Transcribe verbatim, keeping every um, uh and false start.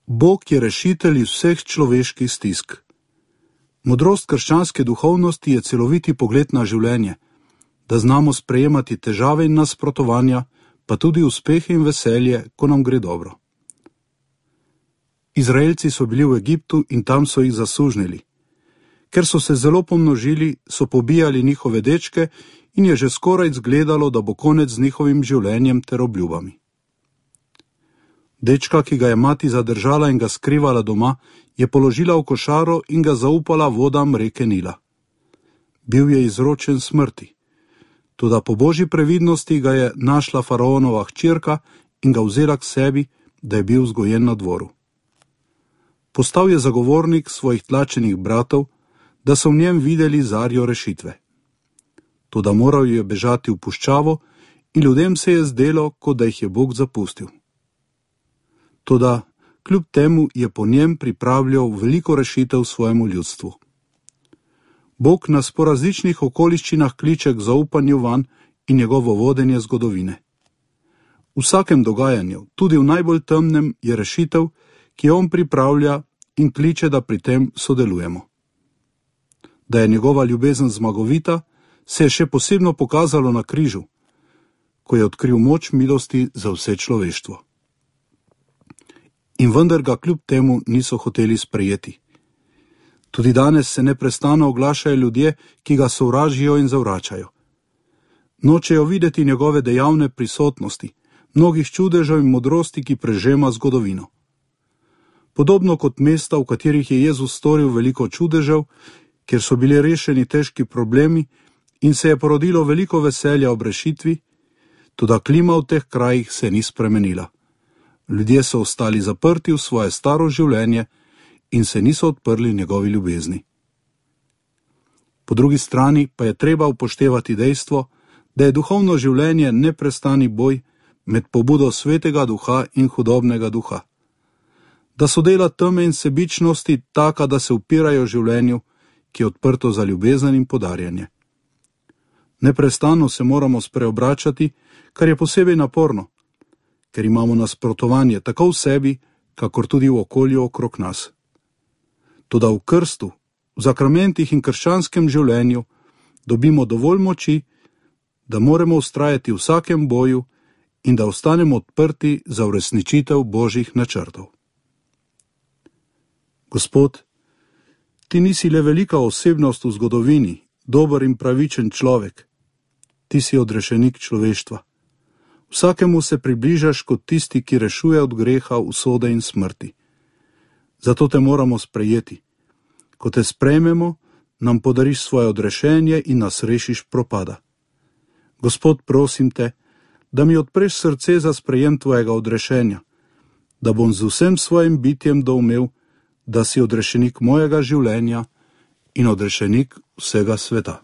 Bog je rešitelj iz vseh človeških stisk. Modrost krščanske duhovnosti je celoviti pogled na življenje, da znamo sprejemati težave in nasprotovanja, pa tudi uspehe in veselje, ko nam gre dobro. Izraelci so bili v Egiptu in tam so jih zasužnili. Ker so se zelo pomnožili, so pobijali njihove dečke in je že skoraj izgledalo, da bo konec z njihovim življenjem ter obljubami. Dečka, ki ga je mati zadržala in ga skrivala doma, je položila v košaro in ga zaupala vodam reke Nila. Bil je izročen smrti. Toda po božji previdnosti ga je našla faraonova hčerka in ga vzela k sebi, da je bil vzgojen na dvoru. Postal je zagovornik svojih tlačenih bratov, da so v njem videli zarjo rešitve. Toda moral je bežati v puščavo in ljudem se je zdelo, kot da jih je Bog zapustil. Toda kljub temu je po njem pripravljal veliko rešitev svojemu ljudstvu. Bog nas po različnih okoliščinah kliče k zaupanju vanj in njegovo vodenje zgodovine. V vsakem dogajanju, tudi v najbolj temnem, je rešitev, ki jo on pripravlja in kliče, da pri tem sodelujemo. Da je njegova ljubezen zmagovita, se je še posebno pokazalo na križu, ko je odkril moč milosti za vse človeštvo. In vendar ga kljub temu niso hoteli sprejeti. Tudi danes se neprestano oglašajo ljudje, ki ga sovražijo in zavračajo. Nočejo videti njegove dejavne prisotnosti, mnogih čudežev in modrosti, ki prežema zgodovino. Podobno kot mesta, v katerih je Jezus storil veliko čudežev, kjer so bili rešeni težki problemi in se je porodilo veliko veselja ob rešitvi, toda klima v teh krajih se ni spremenila. Ljudje so ostali zaprti v svoje staro življenje in se niso odprli njegovi ljubezni. Po drugi strani pa je treba upoštevati dejstvo, da je duhovno življenje neprestani boj med pobudo svetega duha in hudobnega duha. Da so dela teme in sebičnosti taka, da se upirajo življenju, ki je odprto za ljubezen in podarjanje. Neprestano se moramo spreobračati, kar je posebej naporno, ker imamo nasprotovanje tako v sebi, kakor tudi v okolju okrog nas. Toda v krstu, v zakramentih in krščanskem življenju dobimo dovolj moči, da moramo vztrajati v vsakem boju in da ostanemo odprti za uresničitev božjih načrtov. Gospod, ti nisi le velika osebnost v zgodovini, dober in pravičen človek. Ti si odrešenik človeštva. Vsakemu se približaš kot tisti, ki rešuje od greha, usode in smrti. Zato te moramo sprejeti. Ko te sprejmemo, nam podariš svoje odrešenje in nas rešiš propada. Gospod, prosim te, da mi odpreš srce za sprejem tvojega odrešenja, da bom z vsem svojim bitjem doumel, da si odrešenik mojega življenja in odrešenik vsega sveta.